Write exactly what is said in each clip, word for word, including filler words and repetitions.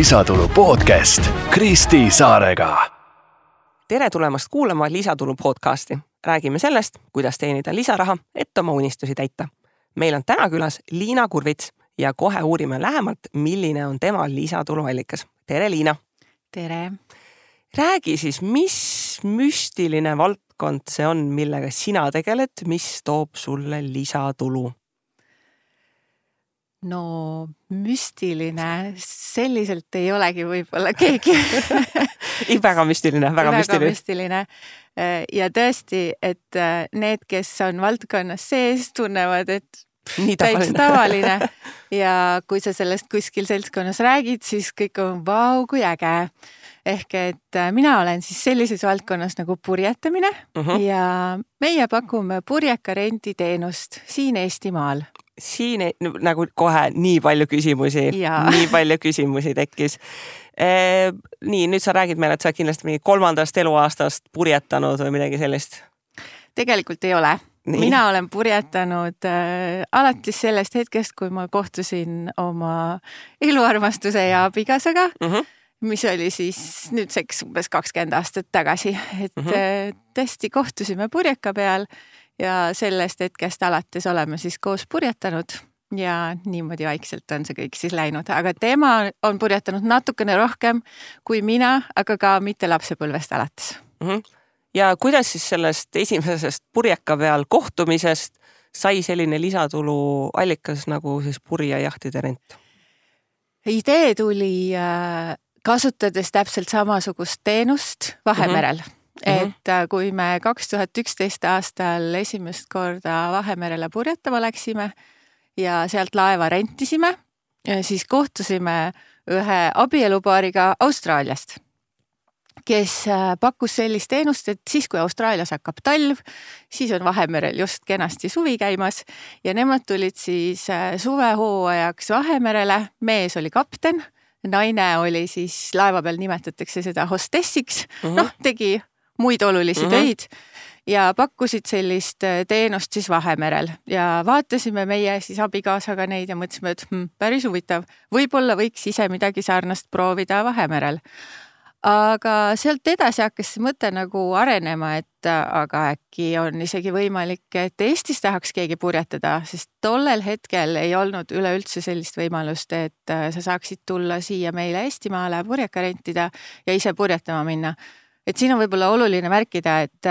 lisatulu podcast Kristi Saarega. Tere tulemast kuulama Lisatulu podcasti. Räägime sellest, kuidas teenida lisaraha, et oma unistusi täita. Meil on täna külas Liina Kurvits ja kohe uurime lähemalt, milline on tema lisatuluallikas. Tere, Liina! Tere! Räägi siis, mis müstiline valdkond see on, millega sina tegeled, mis toob sulle lisatulu? No müstiline, selliselt ei olegi võib-olla keegi. väga müstiline, väga, väga müstiline. müstiline. Ja tõesti, et need, kes on valdkonnas sees, tunnevad, et Nii täitsa tavaline. Ja kui sa sellest kuskil seltskonnas räägid, siis kõik on vau, kui äge. Ehk et mina olen siis sellises valdkonnas nagu purjetamine uh-huh. ja meie pakume purjeka renditeenust siin Eestimaal. Siin ei, nagu kohe nii palju küsimusi, ja. nii palju küsimusi tekkis. E, nii, nüüd sa räägid meile, et sa kindlasti mingi kolmandast eluaastast purjetanud või midagi sellist? Tegelikult ei ole. Nii. Mina olen purjetanud äh, alates sellest hetkest, kui ma kohtusin oma eluarmastuse ja abikaasaga, uh-huh. mis oli siis nüüdseks umbes kakskümmend aastat tagasi. Et uh-huh. äh, tõesti kohtusime purjeka peal ja sellest hetkest alates oleme siis koos purjetanud ja niimoodi vaikselt on see kõik siis läinud. Aga tema on purjetanud natukene rohkem kui mina, aga ka mitte lapsepõlvest alates. Uh-huh. Ja kuidas siis sellest esimesest purjeka peal kohtumisest sai selline lisatulu allikas nagu siis purjejahtide rent? Idee tuli kasutades täpselt samasugust teenust Vahemerel. Uh-huh. Et kui me kaks tuhat üksteist aastal esimest korda Vahemerele purjetama läksime ja sealt laeva rentisime, siis kohtusime ühe abielupaariga Austraaliast, kes pakkus sellist teenust, et siis kui Austraalias hakkab talv, siis on Vahemerel just kenasti suvi käimas ja nemad tulid siis suvehooajaks Vahemerele, mees oli kapten, naine oli siis laeva peal nimetatakse seda hostessiks, uh-huh. noh tegi muid olulisi uh-huh. töid ja pakkusid sellist teenust siis Vahemerel ja vaatasime meie siis abikaasaga neid ja mõtlesime, et hm, päris huvitav, võib-olla võiks ise midagi sarnast proovida Vahemerel. Aga sealt edasi hakkas see mõte nagu arenema, et aga äkki on isegi võimalik, et Eestis tahaks keegi purjetada, sest tollel hetkel ei olnud üleüldse sellist võimalust, et sa saaksid tulla siia meile Eestimaale purjeka rentida ja ise purjetama minna. Et siin on võib-olla oluline märkida, et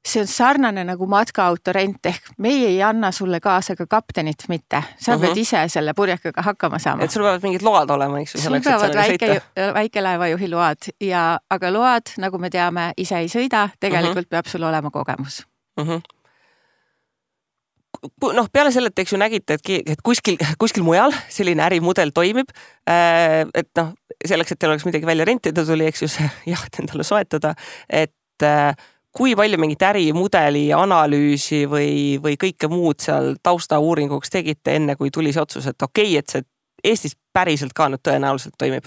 see on sarnane nagu matkaautorent ehk meie ei anna sulle kaasa ka kaptenit mitte. Sa uh-huh. pead ise selle purjekaga hakkama saama. Et sul peavad mingid load olema, eks? Sul peavad väike, väikelaevajuhi load, ja, aga load, nagu me teame, ise ei sõida, tegelikult uh-huh. peab sul olema kogemus. Uh-huh. Noh, peale selle, et eks ju nägite, et kuskil, kuskil mujal selline ärimudel toimib, et noh, selleks, et teil oleks midagi välja rentida, tuli eks ju see jaht endale soetada, et kui palju mingit ärimudeli analüüsi või, või kõike muud seal tausta uuringuks tegite enne, kui tuli see otsus, et okei, okay, et see Eestis päriselt ka nüüd tõenäoliselt toimib?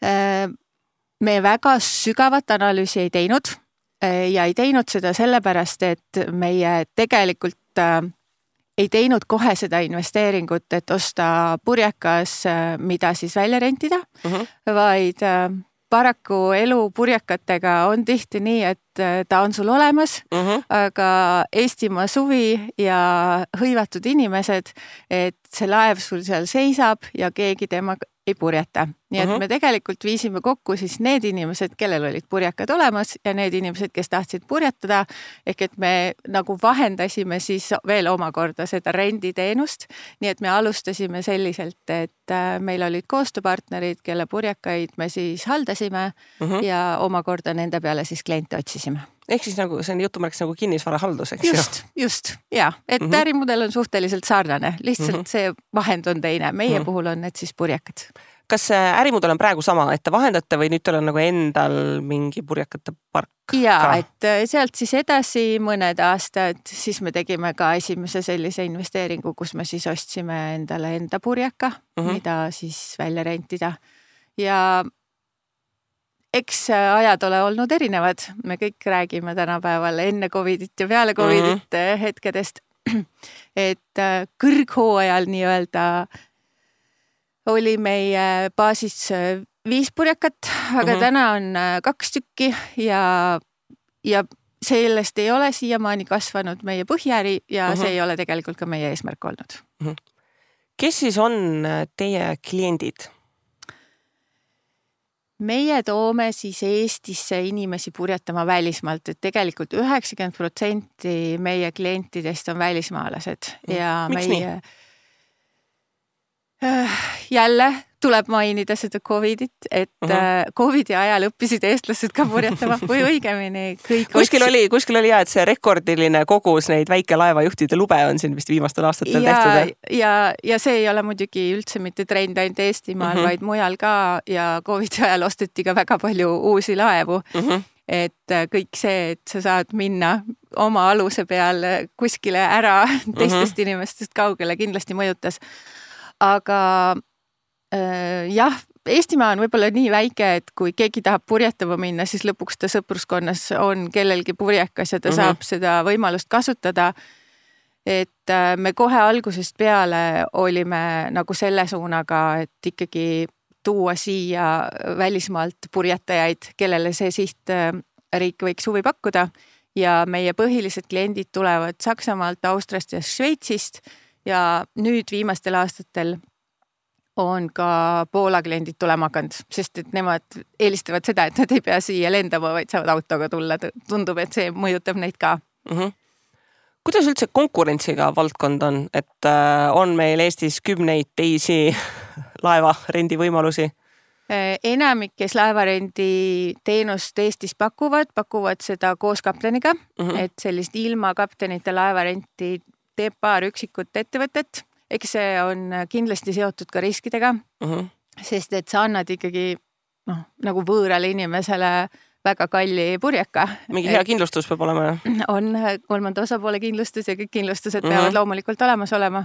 Me väga sügavat analüüsi ei teinud ja ei teinud seda sellepärast, et meie tegelikult ei teinud kohe seda investeeringut, et osta purjekas, mida siis välja rentida, uh-huh. vaid paraku elu purjekatega on tihti nii, et ta on sul olemas, uh-huh. aga Eestimaa suvi ja hõivatud inimesed, et see laev sul seal seisab ja keegi temaga ei purjeta. Nii et uh-huh. me tegelikult viisime kokku siis need inimesed, kellel olid purjekad olemas ja need inimesed, kes tahtsid purjetada, ehk et me nagu vahendasime siis veel omakorda seda renditeenust. Nii et me alustasime selliselt, et meil olid koostööpartnerid, kelle purjekaid me siis haldasime uh-huh. ja omakorda nende peale siis kliente otsisime. Ehk siis nagu see on jutumärks nagu kinnisvarahaldus, eks just, ju? Just, ja. Et uh-huh. ärimudel on suhteliselt sarnane, lihtsalt uh-huh. see vahend on teine. Meie uh-huh. puhul on need siis purjekad. Kas see ärimudel on praegu sama, et te vahendate või nüüd teil on nagu endal mingi purjekate park? Ja, et sealt siis edasi mõned aastad, siis me tegime ka esimese sellise investeeringu, kus me siis ostsime endale enda purjeka, uh-huh. mida siis välja rentida. Ja eks ajad ole olnud erinevad. Me kõik räägime tänapäeval enne Covidit ja peale Covidit mm-hmm. hetkedest, et kõrghooajal nii öelda oli meie baasis viis purjekat, aga mm-hmm. täna on kaks tükki ja, ja sellest ei ole siiamaani kasvanud meie põhiäri ja mm-hmm. see ei ole tegelikult ka meie eesmärk olnud. Mm-hmm. Kes siis on teie kliendid? Meie toome siis Eestisse inimesi purjetama välismaalt, et tegelikult üheksakümmend protsenti meie klientidest on välismaalased ja Miks meie nii? Jälle tuleb mainida seda Covidit, et uh-huh. Covidi ajal õppisid eestlased ka purjetama või õigemini kõik kuskil oli, kuskil oli jah, et see rekordiline kogus neid väikelaevajuhtide lube on siin vist viimastel aastatel ja, tehtud. Ja, ja see ei ole muidugi üldse mitte trend ainult Eestimaal, uh-huh. vaid mujal ka ja Covidi ajal osteti ka väga palju uusi laevu. Uh-huh. Et kõik see, et sa saad minna oma aluse peal kuskile ära teistest uh-huh. inimestest kaugele kindlasti mõjutas. Aga äh, jah, Eestimaa on võib-olla nii väike, et kui keegi tahab purjetama minna, siis lõpuks ta sõpruskonnas on kellelgi purjekas ja ta mm-hmm. saab seda võimalust kasutada. Et äh, me kohe algusest peale olime nagu selle suunaga, et ikkagi tuua siia välismaalt purjetajaid, kellele see sihtriik võiks huvi pakkuda. Ja meie põhilised kliendid tulevad Saksamaalt, Austriast ja Šveitsist. Ja nüüd viimastel aastatel on ka Poola kliendid tulema hakanud, sest et nemad eelistavad seda, et nad ei pea siia lendama, vaid saavad autoga tulla. Tundub, et see mõjutab neid ka. Mm-hmm. Kuidas üldse konkurentsiga valdkond on, et on meil Eestis kümneid teisi laevarendi võimalusi? Enamik, kes laevarendi teenust Eestis pakuvad, pakuvad seda koos kapteniga, mm-hmm. et sellist ilma kaptenite laevarenti teeb paar üksikut ettevõtet, eks see on kindlasti seotud ka riskidega, uh-huh. sest et sa annad ikkagi no, nagu võõrale inimesele väga kalli purjeka. Mingi hea kindlustus peab olema. On kolmanda osapoole kindlustus ja kõik kindlustused uh-huh. peavad loomulikult olemas olema.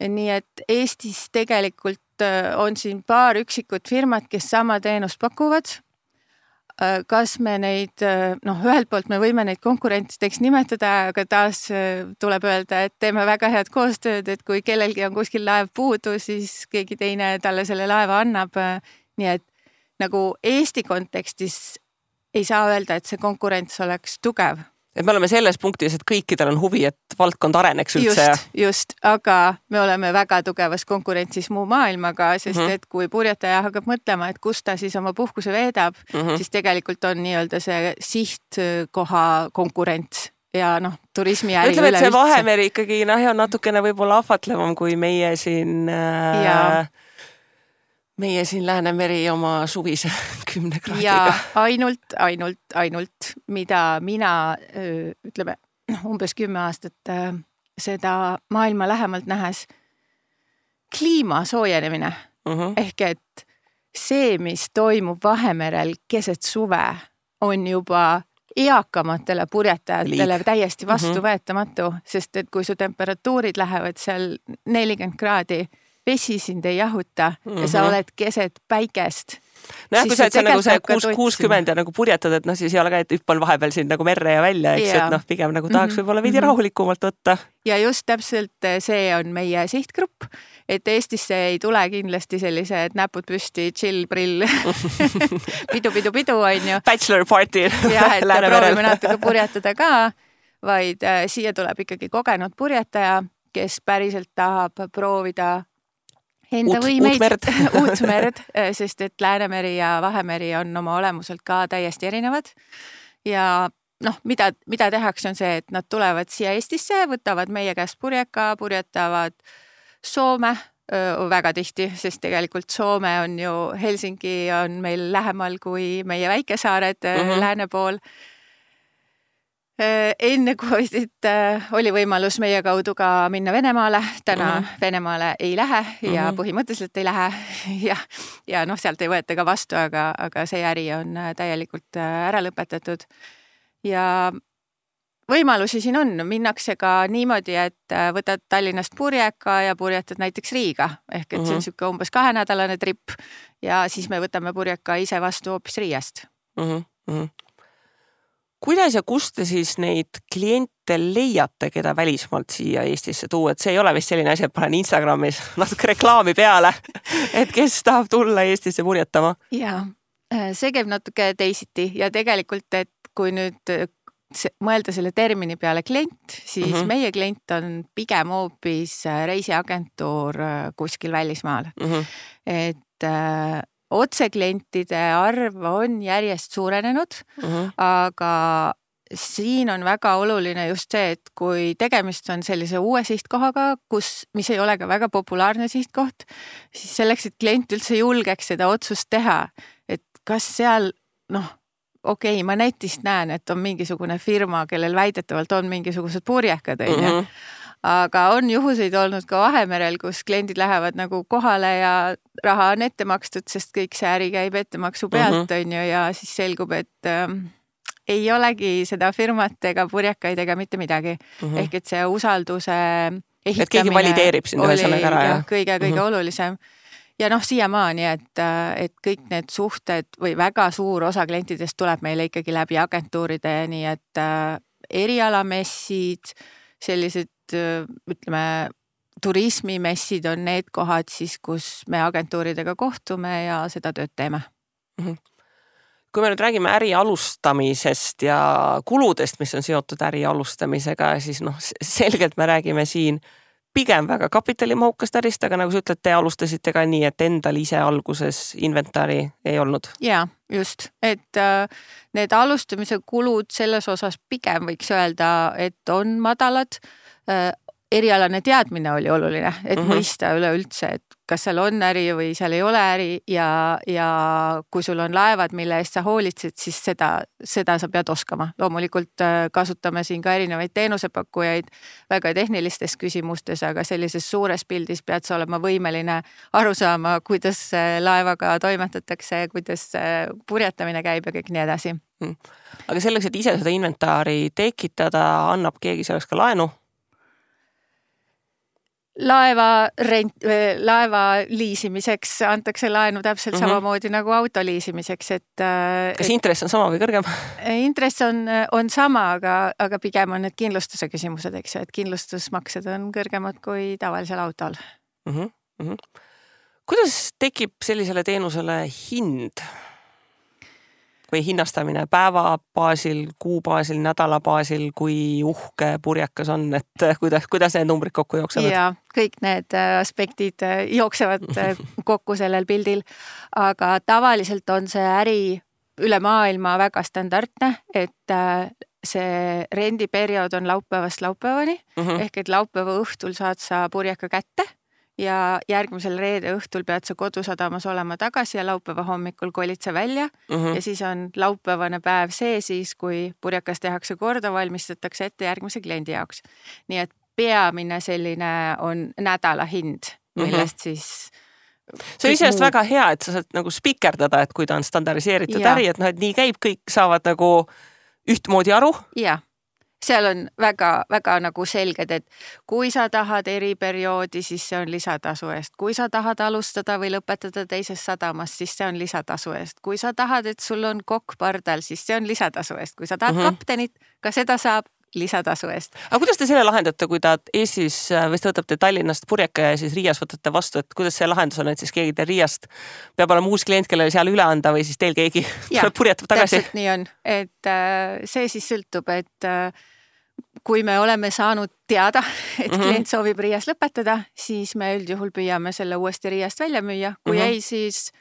Nii et Eestis tegelikult on siin paar üksikut firmat, kes sama teenust pakuvad. Kas me neid, noh, ühelt poolt me võime neid konkurentideks nimetada, aga taas tuleb öelda, et teeme väga head koostööd, et kui kellelgi on kuskil laev puudu, siis keegi teine talle selle laeva annab. Nii et nagu Eesti kontekstis ei saa öelda, et see konkurents oleks tugev. Et me oleme selles punktis, et kõikidel on huvi, et valdkond areneks üldse. Just, just, aga me oleme väga tugevas konkurentsis muu maailmaga, sest mm-hmm. et kui purjetaja hakkab mõtlema, et kus ta siis oma puhkuse veedab, mm-hmm. siis tegelikult on nii-öelda see sihtkoha konkurents ja noh, turismiäri ütleme, et see Vahemeri ikkagi noh, on natukene võib-olla ahvatlevam kui meie siin... Äh, meie siin Läänemeri oma suvise kümne kraadiga. Ja ainult, ainult, ainult, mida mina, ütleme, umbes kümme aastat seda maailma lähemalt nähes, kliima soojenemine. Uh-huh. Ehk et see, mis toimub Vahemerel keset suve, on juba eakamatele purjetajatele Liik. Täiesti vastuvõetamatu, uh-huh. sest et kui su temperatuurid lähevad seal nelikümmend kraadi, vesi sind ei jahuta mm-hmm. ja sa oled keset päikest. No jah, kui sa et see nagu see kuuskümmend ja nagu purjetad, et noh, siis ei ole ka, et hüppan vahepeal siin nagu merre ja välja, eks, ja. Et noh, pigem nagu tahaks mm-hmm. võib-olla veidi rahulikumalt võtta. Ja just täpselt see on meie sihtgrupp, et Eestisse ei tule kindlasti sellised näpud püsti, chill, prill, pidu, pidu, pidu, on ju. Bachelor party. Ja, et proovime natuke purjetada ka, vaid äh, siia tuleb ikkagi kogenud purjetaja, kes päriselt tahab proovida enda uut, võimeid, uut merd, uut merd, sest et Läänemeri ja Vahemeri on oma olemuselt ka täiesti erinevad. Ja noh, mida, mida tehakse on see, et nad tulevad siia Eestisse, võtavad meie käest purjeka, purjetavad Soome öö, väga tihti, sest tegelikult Soome on ju, Helsingi on meil lähemal kui meie väikesaared mm-hmm. lääne pool. Enne Covidit oli võimalus meie kaudu ka minna Venemaale, täna mm-hmm. Venemaale ei lähe ja mm-hmm. põhimõtteliselt ei lähe ja, ja noh, sealt ei võeta ka vastu, aga, aga see äri on täielikult ära lõpetatud. Ja võimalusi siin on, minnakse ka niimoodi, et võtad Tallinnast purjeka ja purjetad näiteks Riiga, ehk et mm-hmm. see on siuke umbes kahenädalane trip ja siis me võtame purjeka ise vastu hoopis Riiast. Mm-hmm. kuidas ja kust te siis neid kliente leiate, keda välismaalt siia Eestisse tuua, et see ei ole vist selline asi, et panen Instagramis natuke reklaami peale, et kes tahab tulla Eestisse purjetama? Jaa, see käib natuke teisiti ja tegelikult, et kui nüüd mõelda selle termini peale klient, siis mm -hmm. meie klient on pigem hoopis reisiagentuur kuskil välismaal. Mm -hmm. Et äh, otseklientide arv on järjest suurenenud, uh-huh. aga siin on väga oluline just see, et kui tegemist on sellise uue sihtkohaga, kus, mis ei ole ka väga populaarne sihtkoht, siis selleks, et klient üldse julgeks seda otsust teha, et kas seal, noh, okei okay,, ma netist näen, et on mingisugune firma, kellel väidetavalt on mingisugused purjekad, uh-huh. aga on juhuseid olnud ka Vahemerel, kus kliendid lähevad nagu kohale ja raha on ette makstud, sest kõik see äri käib ettemaksu pealt, uh-huh. on ju, ja siis selgub, et äh, ei olegi seda firmat ega purjekaid ega mitte midagi. Uh-huh. Ehk et see usalduse ehitamine... Et keegi valideerib sind ühesõnaga ära. Ja kõige, kõige uh-huh. olulisem. Ja noh, siiamaani, et, et kõik need suhted või väga suur osa klientidest tuleb meile ikkagi läbi agentuuride, nii et äh, erialamessid, sellised ütleme, turismimessid on need kohad siis, kus me agentuuridega kohtume ja seda tööd teeme. Kui me nüüd räägime äri alustamisest ja kuludest, mis on seotud äri alustamisega, siis noh, selgelt me räägime siin pigem väga kapitalimahukast ärist, aga nagu sa ütled, te alustasite ka nii, et endal ise alguses inventari ei olnud. Jaa, just. Et äh, need alustamise kulud selles osas pigem võiks öelda, et on madalad. Äh, erialane teadmine oli oluline, et uh-huh. mõista üleüldse, et kas seal on äri või seal ei ole äri ja, ja kui sul on laevad, mille eest sa hoolitsed, siis seda, seda sa pead oskama. Loomulikult kasutame siin ka erinevaid teenusepakkujaid väga tehnilistes küsimustes, aga sellises suures pildis pead sa olema võimeline aru saama, kuidas laevaga toimetatakse, kuidas purjetamine käib ja kõik nii edasi. Hmm. Aga selleks, et ise seda inventaari tekitada, annab keegi selleks ka laenu? Laeva, rent, laeva liisimiseks antakse laenu täpselt mm-hmm. samamoodi nagu auto liisimiseks. Et, kas et, intress on sama või kõrgem? Intress on, on sama, aga, aga pigem on need kindlustuse küsimused, eks, et kindlustusmaksed on kõrgemad kui tavalisel autol. Mm-hmm. Mm-hmm. Kuidas tekib sellisele teenusele hind? Või hinnastamine päeva baasil, kuu baasil, nädala baasil, kui uhke purjekas on, et kuidas, kuidas need numbrid kokku jooksevad? Ja kõik need aspektid jooksevad kokku sellel pildil, aga tavaliselt on see äri üle maailma väga standardne, et see rendiperiood on laupäevast laupäevani, uh-huh. ehk et laupäeva õhtul saad sa purjeka kätte ja järgmisel reede õhtul pead sa kodusadamas olema tagasi ja laupäeva hommikul kolid sa välja uh-huh. ja siis on laupäevane päev see siis, kui purjekas tehakse korda, valmistatakse ette järgmise kliendi jaoks. Nii et peamine selline on nädala hind, millest uh-huh. siis... See on iseenesest väga hea, et sa saad nagu spikerdada, et kui ta on standardiseeritud ja. Äri, et noh, et nii käib, kõik saavad nagu ühtmoodi aru. Jaa. Seal on väga, väga nagu selged, et kui sa tahad eriperioodi, siis see on lisatasu eest. Kui sa tahad alustada või lõpetada teises sadamas, siis see on lisatasu eest. Kui sa tahad, et sul on kokk pardal, siis see on lisatasu eest. Kui sa tahad uh-huh. kaptenit, ka seda saab lisatasu eest. Aga kuidas te selle lahendate, kui ta Eestis või te võtate Tallinnast purjeka ja siis Riias võtate vastu, et kuidas see lahendus on, et siis keegi teil Riiast peab olema uus klient, kellele seal üle anda või siis teil keegi ja, purjetab tagasi? Täpselt nii on, et äh, see siis sõltub, et äh, kui me oleme saanud teada, et mm-hmm. klient soovib Riias lõpetada, siis me üldjuhul püüame selle uuesti Riiast välja müüa. Kui mm-hmm. ei, siis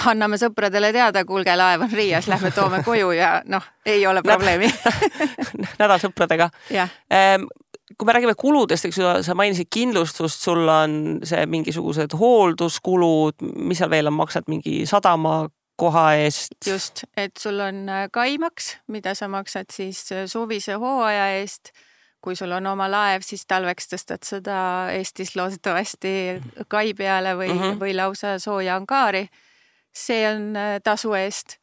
anname sõpradele teada, kuulge, laev on Riias, lähme toome koju ja noh, ei ole probleemi. Nädal sõpradega. Kui me räägime kuludest, eks sa mainisid kindlustust, sul on see mingisugused hoolduskulud, mis seal veel on, maksad mingi sadama koha eest? Just, et sul on kaimaks, mida sa maksad siis suvise hooaja eest. Kui sul on oma laev, siis talveks tõstad seda Eestis loodetavasti kai peale või, mm-hmm. või lausa sooja angaari. See on tasu eest.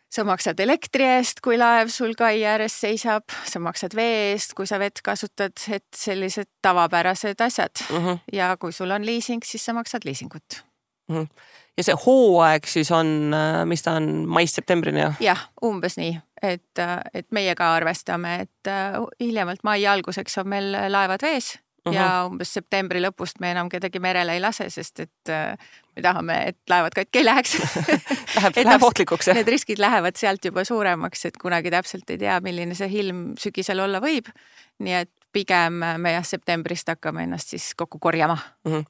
Sa maksad elektri eest, kui laev sul kai ääres seisab. Sa maksad vee eest, kui sa vett kasutad, et sellised tavapärased asjad. Mm-hmm. Ja kui sul on liising, siis sa maksad liisingut. Mm-hmm. Ja see hooaeg siis on, mis ta on, mais-septembrini? Jah, umbes nii. et, et meie ka arvestame, et hiljemalt mai alguseks on meil laevad vees uh -huh. ja umbes septembri lõpust me enam kedagi merele ei lase, sest et me tahame, et laevad katki ei läheks. Läheb, läheb ohtlikuks. Need riskid lähevad sealt juba suuremaks, et kunagi täpselt ei tea, milline see ilm sügisel olla võib. Nii et pigem me jah, septembrist hakkame ennast siis kokku korjama. Uh -huh.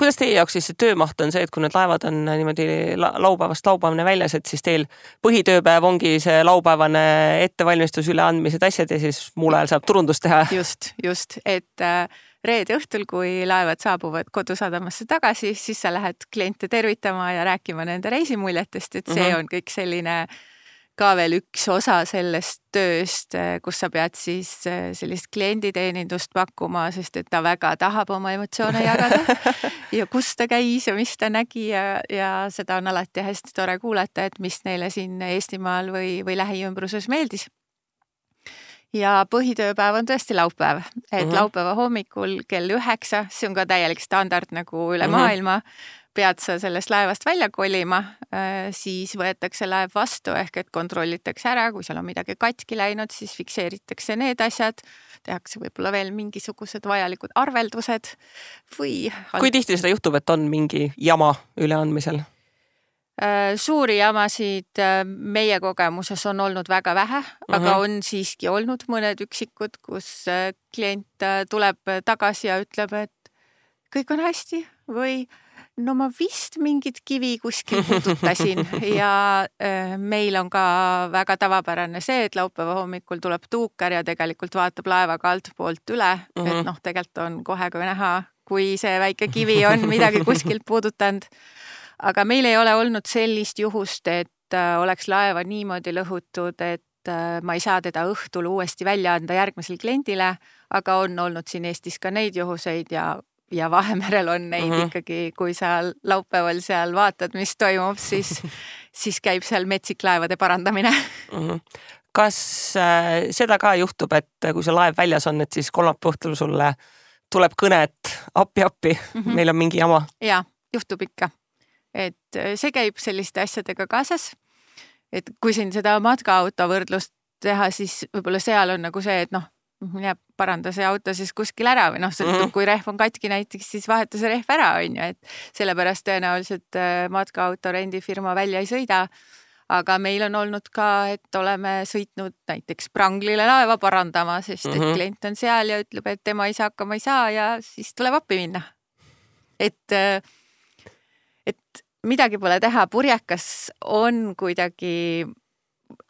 Kuidas teie jaoks siis see töömaht on see, et kui need laevad on niimoodi laupäevast laupäevane väljas, et siis teil põhitööpäev ongi see laupäevane ettevalmistus, üleandmised, asjad ja siis muul ajal saab turundust teha? Just, just, et reede õhtul, kui laevad saabuvad kodusadamasse tagasi, siis sa lähed kliente tervitama ja rääkima nende reisimuljetest, et see on kõik selline ka veel üks osa sellest tööst, kus sa pead siis sellist klienditeenindust pakkuma, sest et ta väga tahab oma emotsioone jagada ja kus ta käis ja mis ta nägi ja, ja seda on alati hästi tore kuulata, et mis neile siin Eestimaal või, või lähiümbruses meeldis. Ja põhitööpäev on tõesti laupäev, et uh -huh. laupäeva hommikul kell üheksa, see on ka täielik standard nagu üle uh -huh. maailma, pead sa sellest laevast välja kolima, siis võetakse laev vastu ehk et kontrollitakse ära, kui seal on midagi katki läinud, siis fikseeritakse need asjad, tehakse võib-olla veel mingisugused vajalikud arveldused või... Kui tihti seda juhtub, et on mingi jama üleandmisel? Suuri jamasid meie kogemuses on olnud väga vähe, uh -huh. aga on siiski olnud mõned üksikud, kus klient tuleb tagasi ja ütleb, et kõik on hästi või no ma vist mingit kivi kuskil puudutasin ja meil on ka väga tavapärane see, et laupäeva hommikul tuleb tuukar ja tegelikult vaatab laevaga altpoolt üle, uh -huh. et noh, tegelikult on kohe ka näha, kui see väike kivi on midagi kuskilt puudutanud. Aga meil ei ole olnud sellist juhust, et oleks laeva niimoodi lõhutud, et ma ei saa teda õhtul uuesti välja anda järgmisel kliendile, aga on olnud siin Eestis ka neid juhuseid ja ja Vahemerel on neid uh -huh. ikkagi, kui sa laupäeval seal vaatad, mis toimub, siis, siis käib seal metsik laevade parandamine. Uh -huh. Kas äh, seda ka juhtub, et kui see laev väljas on, et siis kolmapäeva õhtul sulle tuleb kõne, et appi, appi, uh -huh. meil on mingi jama? Jaa, juhtub ikka. Et see käib selliste asjadega kaasas. Et kui siin seda matkaauto võrdlust teha, siis võib-olla seal on nagu see, et noh, mine paranda see auto siis kuskil ära või noh, sõltub, kui rehv on katki näiteks, siis vaheta see rehv ära, on ju, et sellepärast tõenäoliselt matkaauto rendifirma välja ei sõida. Aga meil on olnud ka, et oleme sõitnud näiteks Pranglile laeva parandama, sest et mm-hmm. klient on seal ja ütleb, et tema ise hakkama ei saa ja siis tuleb appi minna. Et, et midagi pole teha, purjekas on kuidagi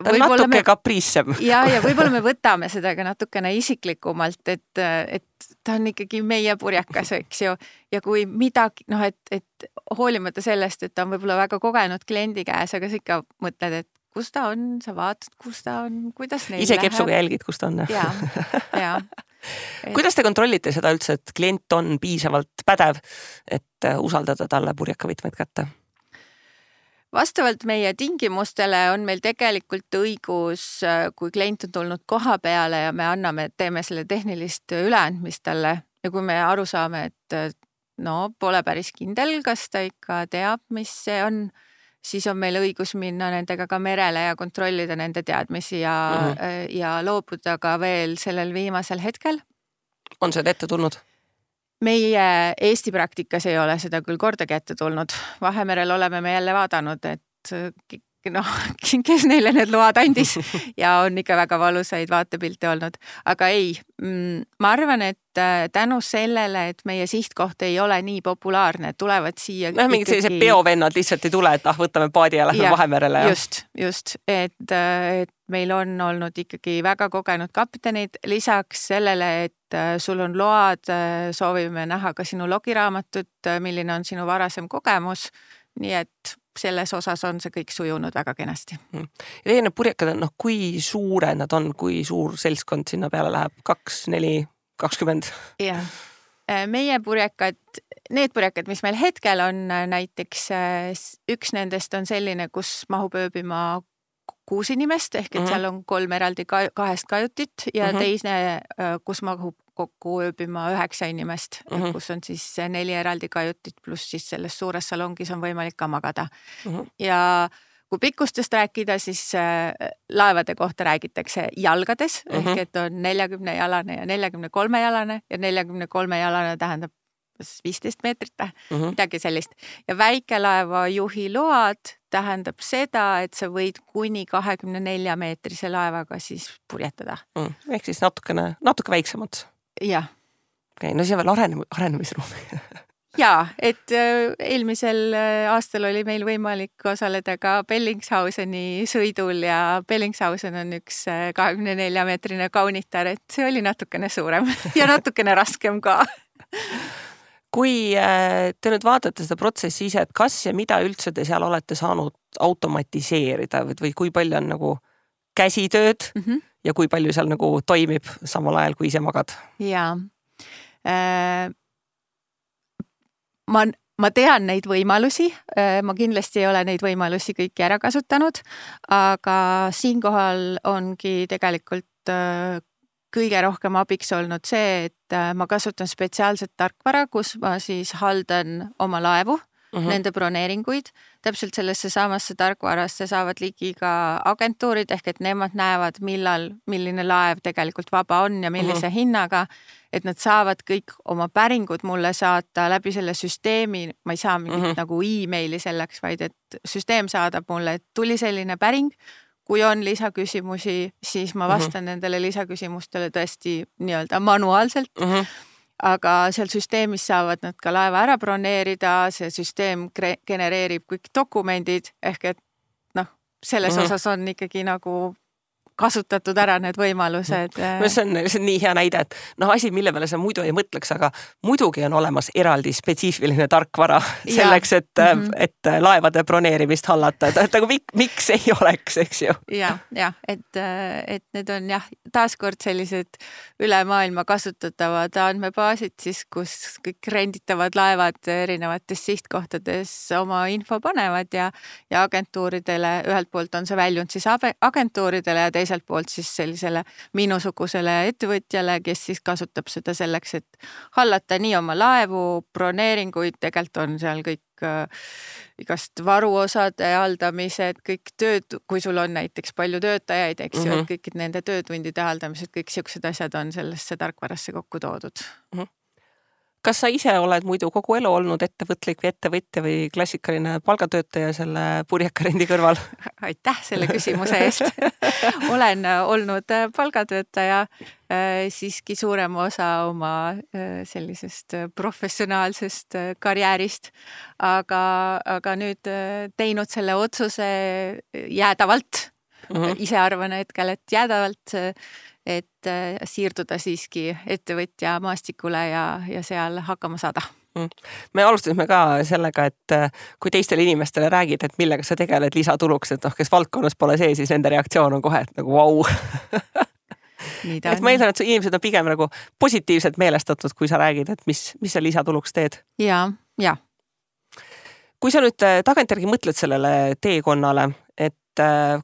ta on natuke me... kapriissem. Ja, ja võib-olla me võtame seda ka natukene isiklikumalt, et, et ta on ikkagi meie purjekas, eks ju. Ja kui midagi, noh, et, et hoolimata sellest, et ta on võib-olla väga kogenud kliendi käes, aga sa ikka mõtled, et kus ta on, sa vaatad, kus ta on, kuidas neil ise kepsuga jälgid, kus ta on. Ja, ja. Et... Kuidas te kontrollite seda üldse, et klient on piisavalt pädev, et usaldada talle purjekavõtmeid kätte? Vastavalt meie tingimustele on meil tegelikult õigus, kui klient on tulnud koha peale ja me anname, teeme selle tehnilist üleandmist talle ja kui me aru saame, et no pole päris kindel, kas ta ikka teab, mis see on, siis on meil õigus minna nendega ka merele ja kontrollida nende teadmisi ja, uh-huh. ja loobuda ka veel sellel viimasel hetkel. On seda ette tulnud? Meie Eesti praktikas ei ole seda küll kordagi ette tulnud. Vahemerel oleme me jälle vaadanud, et noh, kes neile need load andis ja on ikka väga valusaid vaatepilte olnud. Aga ei, ma arvan, et tänu sellele, et meie sihtkoht ei ole nii populaarne, tulevad siia no, mingid ikkagi... sellised peovennad lihtsalt ei tule, et ah, võtame paadi ja lähme ja, Vahemerele. Ja. Just, just, et, et meil on olnud ikkagi väga kogenud kaptenid, lisaks sellele, et sul on load, soovime näha ka sinu logiraamatut, milline on sinu varasem kogemus, nii et selles osas on see kõik sujunud väga kenasti. Ja teie need purjekad on, noh, kui suure nad on, kui suur seltskond sinna peale läheb? Kaks, neli, kakskümmend? Jah, meie purjekad, need purjekad, mis meil hetkel on, näiteks üks nendest on selline, kus mahub ööbima kuus inimest, ehk et seal on kolm eraldi kahest kajutit ja uh-huh. teisne, kus mahub kokku ööbima üheksa inimest, uh-huh. kus on siis neli eraldi kajutit, pluss siis selles suures salongis on võimalik ka magada. Uh-huh. Ja kui pikkustest rääkida, siis laevade kohta räägitakse jalgades mm, -hmm. ehk et on neljakümne jalane ja neljakümne kolme jalane ja neljakümne kolme jalane tähendab viisteist meetrit või mm -hmm. midagi sellist. Ja väikelaeva juhi load tähendab seda, et sa võid kuni kahekümne nelja meetrise laevaga siis purjetada mm,. Ehk siis natukene, natuke väiksemad. Jah. Okay, no see on veel arenem, arenemisruumi. Jaa, et eelmisel aastal oli meil võimalik osaleda ka Bellingshauseni sõidul ja Bellingshausen on üks kahekümne nelja meetrine kaunitar, et see oli natukene suurem ja natukene raskem ka. Kui te nüüd vaatate seda protsessi ise, et kas ja mida üldse te seal olete saanud automatiseerida või kui palju on nagu käsitööd mm -hmm. ja kui palju seal nagu toimib samal ajal, kui ise magad? Jaa. Äh... Ma, ma tean neid võimalusi, ma kindlasti ei ole neid võimalusi kõiki ära kasutanud, aga siinkohal ongi tegelikult kõige rohkem abiks olnud see, et ma kasutan spetsiaalset tarkvara, kus ma siis haldan oma laevu, mm-hmm. nende broneeringuid. Täpselt sellesse samasse tarkvarasse saavad ligi ka agentuurid, ehk et nemad näevad, millal, milline laev tegelikult vaba on ja millise mm-hmm. hinnaga, et nad saavad kõik oma päringud mulle saata läbi selle süsteemi. Ma ei saa mingit mm-hmm. nagu e-maili selleks, vaid et süsteem saadab mulle, et tuli selline päring. Kui on lisaküsimusi, siis ma vastan mm-hmm. nendele lisaküsimustele tõesti nii-öelda manuaalselt. Mm-hmm. Aga seal süsteemis saavad nad ka laeva ära broneerida, see süsteem genereerib kõik dokumendid, ehk et noh, selles mm-hmm. osas on ikkagi nagu kasutatud ära need võimalused. No see on, see on nii hea näide, et noh, asi, mille peale sa muidu ei mõtleks, aga muidugi on olemas eraldi spetsiifiline tarkvara selleks, et, mm-hmm. et laevade broneerimist hallata, et, et nagu mik, miks ei oleks, eks ju? Ja, ja, et, et need on jah, taaskord sellised üle maailma kasutatavad andmebaasid siis, kus kõik renditavad laevad erinevates sihtkohtades oma info panevad ja, ja agentuuridele, ühelt poolt on see väljund siis agentuuridele ja teisalt poolt siis sellisele minusugusele ettevõtjale, kes siis kasutab seda selleks, et hallata nii oma laevu, broneeringuid, tegelikult on seal kõik äh, igast varuosade haldamised, kõik tööd, kui sul on näiteks palju töötajaid, eks ju, mm-hmm. et kõik nende töötundide haldamised, kõik siuksed asjad on sellesse tarkvarasse kokku toodud. Mm-hmm. Kas sa ise oled muidu kogu elu olnud ettevõtlik või ettevõtja või klassikaline palgatöötaja selle purjekarendi kõrval? Aitäh selle küsimuse eest. Olen olnud palgatöötaja siiski suurem osa oma sellisest professionaalsest karjäärist, aga, aga nüüd teinud selle otsuse jäädavalt. Mm-hmm. Ise arvan hetkel, et jäädavalt, et siirduda siiski ettevõtja maastikule ja, ja seal hakkama saada. Me alustasime ka sellega, et kui teistele inimestele räägid, et millega sa tegeled lisatuluks, et noh, kes valdkonnas pole see, siis nende reaktsioon on kohe, et nagu vau. Et ma eeldan, et inimesed on pigem nagu positiivselt meelestatud, kui sa räägid, et mis, mis sa lisatuluks teed. Ja, ja. Kui sa nüüd tagantjärgi mõtled sellele teekonnale, et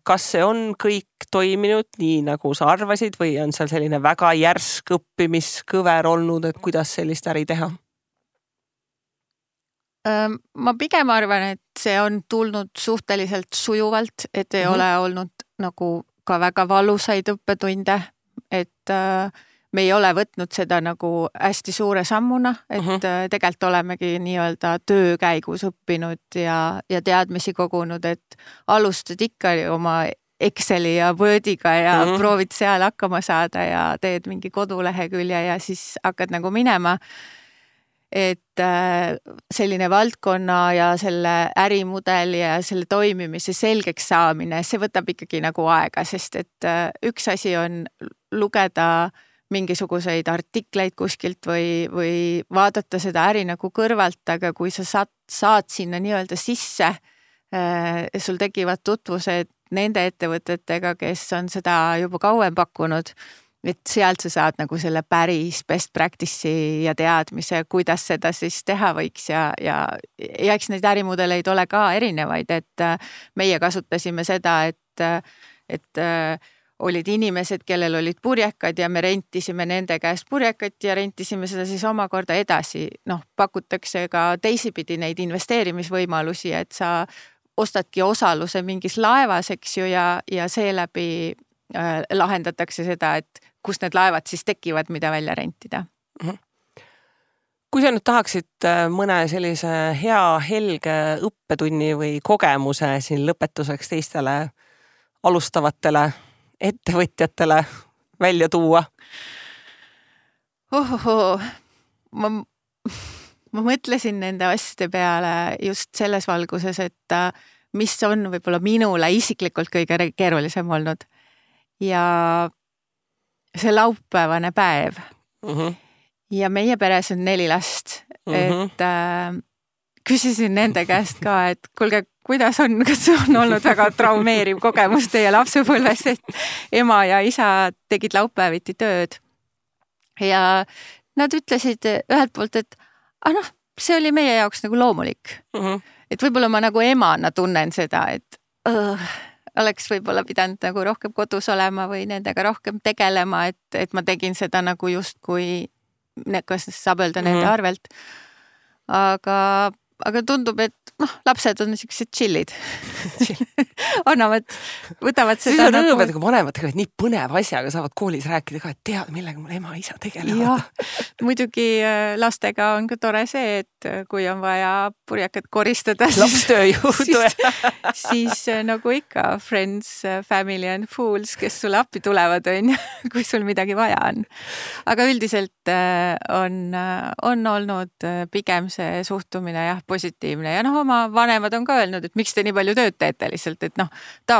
kas see on kõik toiminud nii, nagu sa arvasid või on seal selline väga järsk õppimiskõver olnud, et kuidas sellist äri teha? Ma pigem arvan, et see on tulnud suhteliselt sujuvalt, et ei mm-hmm. ole olnud nagu ka väga valusaid õppetunde, et me ei ole võtnud seda nagu hästi suure sammuna, et mm-hmm. tegelikult olemegi nii-öelda töö käigus õppinud ja, ja teadmisi kogunud, et alustad ikka oma Exceli ja Wordiga ja mm-hmm. proovid seal hakkama saada ja teed mingi kodulehekülje ja siis hakkad nagu minema. Et selline valdkonna ja selle ärimudeli ja selle toimimise selgeks saamine, see võtab ikkagi nagu aega, sest et üks asi on lugeda mingisuguseid artikleid kuskilt või, või vaadata seda äri nagu kõrvalt, aga kui sa saad, saad sinna nii-öelda sisse, sul tekivad tutvused nende ettevõtetega, kes on seda juba kauem pakkunud, et sealt sa saad nagu selle päris best practice'i ja teadmise, kuidas seda siis teha võiks ja, ja, ja eks neid ärimudeleid ole ka erinevaid, et meie kasutasime seda, et, et olid inimesed, kellel olid purjekad ja me rentisime nende käest purjekat ja rentisime seda siis omakorda edasi. Noh, pakutakse ka teisipidi neid investeerimisvõimalusi, et sa ostadki osaluse mingis laevas, eks ju, ja, ja seeläbi äh, lahendatakse seda, et kus need laevad siis tekivad, mida välja rentida. Mm-hmm. Kui sa nüüd tahaksid mõne sellise hea, helge õppetunni või kogemuse siin lõpetuseks teistele alustavatele ettevõtjatele välja tuua? Ohoho, ma, ma mõtlesin nende asjade peale just selles valguses, et mis on võib-olla minule isiklikult kõige keerulisem olnud. Ja see laupäevane päev. Mm-hmm. Ja meie peres on neli last, mm-hmm. et äh, küsisin nende käest ka, et kuulge, kuidas on, kas on olnud väga traumeeriv kogemus teie lapsepõlves, et ema ja isa tegid laupäeviti tööd. Ja nad ütlesid ühelt poolt, et ah noh, see oli meie jaoks nagu loomulik. Mm-hmm. Et võib-olla ma nagu emana tunnen seda, et uh, oleks võib-olla pidanud nagu rohkem kodus olema või nendega rohkem tegelema, et, et ma tegin seda nagu just kui kas saab öelda nende mm-hmm. arvelt. Aga, aga tundub, et noh, lapsed on niisugused chillid. Annavad, võtavad seda. Siis on nagu... rõõmed, kui vanemad tegevad nii põneva asjaga, saavad koolis rääkida ka, et teada, millega mul ema isa tegelevad. Muidugi lastega on ka tore see, et kui on vaja purjakad koristada, lapstööjõudu. siis, siis nagu ikka friends, family and fools, kes sulle appi tulevad, on, kui sul midagi vaja on. Aga üldiselt on, on olnud pigem see suhtumine jah, positiivne. Ja noh, oma vanemad on ka öelnud, et miks te nii palju tööd teete lihtsalt, et noh, ta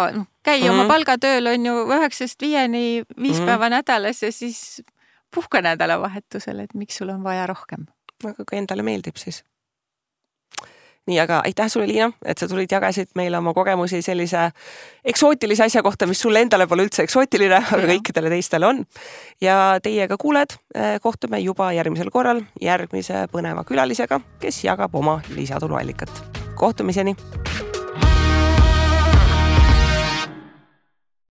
käi mm-hmm. oma palgatööl on ju üheksast viieni viis mm-hmm. päeva nädalas ja siis puhka nädalavahetusel, et miks sul on vaja rohkem. Aga ka endale meeldib siis. Nii, aga aitäh sulle, Liina, et sa tulid jagasid meile oma kogemusi sellise eksootilise asja kohta, mis sulle endale pole üldse eksootiline, aga ja. Kõikidele teistele on. Ja teiega kuuled, kohtume juba järgmisel korral järgmise põneva külalisega, kes jagab oma lisatuluallikat. Kohtumiseni!